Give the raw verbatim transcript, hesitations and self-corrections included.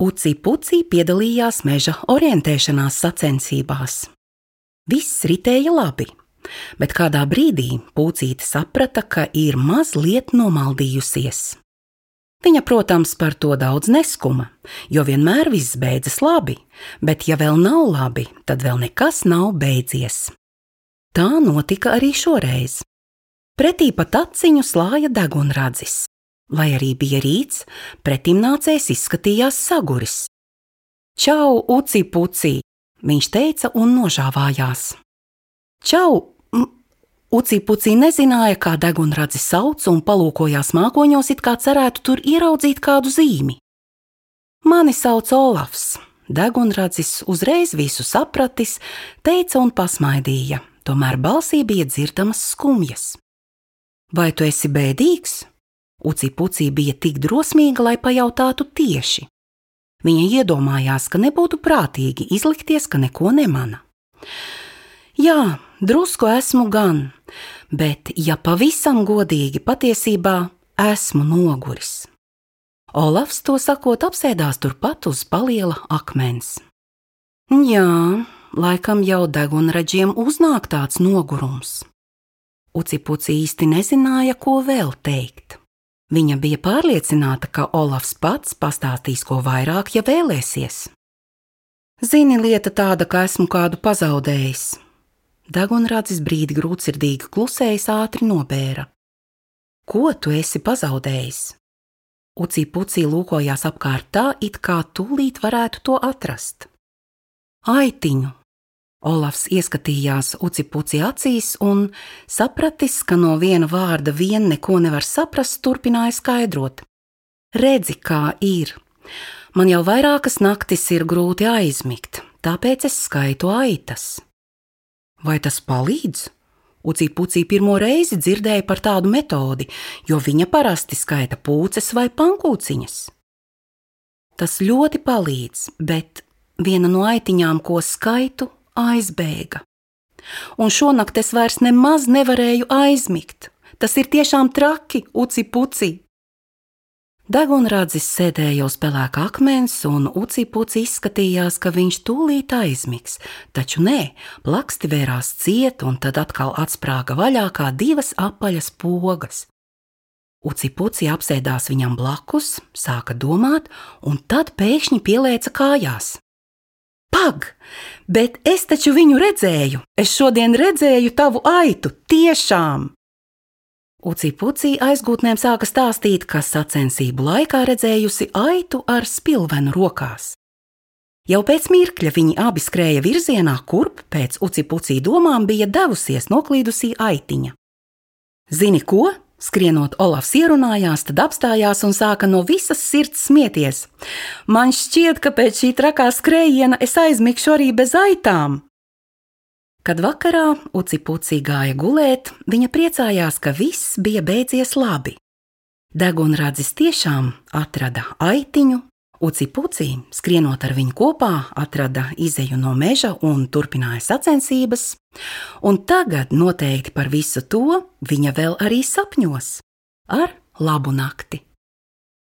Uci Puci piedalījās meža orientēšanās sacensībās. Viss ritēja labi, bet kādā brīdī Pucīte saprata, ka ir mazliet nomaldījusies. Viņa, protams, par to daudz neskuma, jo vienmēr viss beidzas labi, bet ja vēl nav labi, tad vēl nekas nav beidzies. Tā notika arī šoreiz. Pretī pat aciņu slāja degunradzis. Lai arī bija rīts, pretimnācējs izskatījās saguris. Čau, Uci Puci, viņš teica un nožāvājās. Čau! Uci Puci nezināja, kā degunradzi sauc un palūkojās mākoņos, it kā cerētu tur ieraudzīt kādu zīmi. Mani sauc Olafs. Degunradzis uzreiz visu sapratis, teica un pasmaidīja, tomēr balsī bija dzirdamas skumjas. Vai tu esi bēdīgs? Uci Puci bija tik drosmīga, lai pajautātu tieši. Viņa iedomājās, ka nebūtu prātīgi izlikties, ka neko nemana. Jā, drusku esmu gan, bet, ja pavisam godīgi, patiesībā esmu noguris. Olafs to sakot apsēdās turpat uz paliela akmens. Jā, laikam jau degunraģiem uznāk tāds nogurums. Uci Puci īsti nezināja, ko vēl teikt. Viņa bija pārliecināta, ka Olafs pats pastāstīs ko vairāk, ja vēlēsies. Zini, lieta tāda, ka esmu kādu pazaudējis. Degunradzis brīdi grūtsirdīgi klusējis ātri nobēra. Ko tu esi pazaudējis? Uci Puci lūkojās apkārt tā, it kā tūlīt varētu to atrast. Aitiņu. Olafs ieskatījās Uci Puci acīs un, sapratis, ka no viena vārda vien neko nevar saprast, turpināja skaidrot. Redzi, kā ir. Man jau vairākas naktis ir grūti aizmigt, tāpēc es skaitu aitas. Vai tas palīdz? Uci Puci pirmo reizi dzirdēja par tādu metodi, jo viņa parasti skaita pūces vai pankūciņas. Tas ļoti palīdz, bet viena no aitiņām, ko skaitu, aizbēga. Un šonakt es vairs nemaz nevarēju aizmigt. Tas ir tiešām traki, Uci Puci. Degunradzis sēdēja uz pelēka akmens, un Uci Puci izskatījās, ka viņš tūlīt aizmigs, taču nē, plaksti vērās ciet, un tad atkal atsprāga vaļā kā divas apaļas pogas. Uci Puci apsēdās viņam blakus, sāka domāt, un tad pēkšņi pielēca kājās. Pag, bet es taču viņu redzēju, es šodien redzēju tavu aitu, tiešām! Uci Puci aizgūtnēm sāka stāstīt, ka sacensību laikā redzējusi aitu ar spilvenu rokās. Jau pēc mirkļa viņi abi skrēja virzienā, kurp pēc Uci Puci domām bija devusies noklīdusī aitiņa. Zini ko? Skrienot, Olafs ierunājās, tad apstājās un sāka no visas sirds smieties. Man šķiet, ka pēc šī trakā skrējiena es aizmigšu arī bez aitām. Kad vakarā Uci Puci gāja gulēt, viņa priecājās, ka viss bija beidzies labi. Degunradzis tiešām atrada aitiņu, Uci Puci, skrienot ar viņu kopā, atrada izeju no meža un turpināja sacensības, un tagad noteikti par visu to viņa vēl arī sapņos ar labu nakti.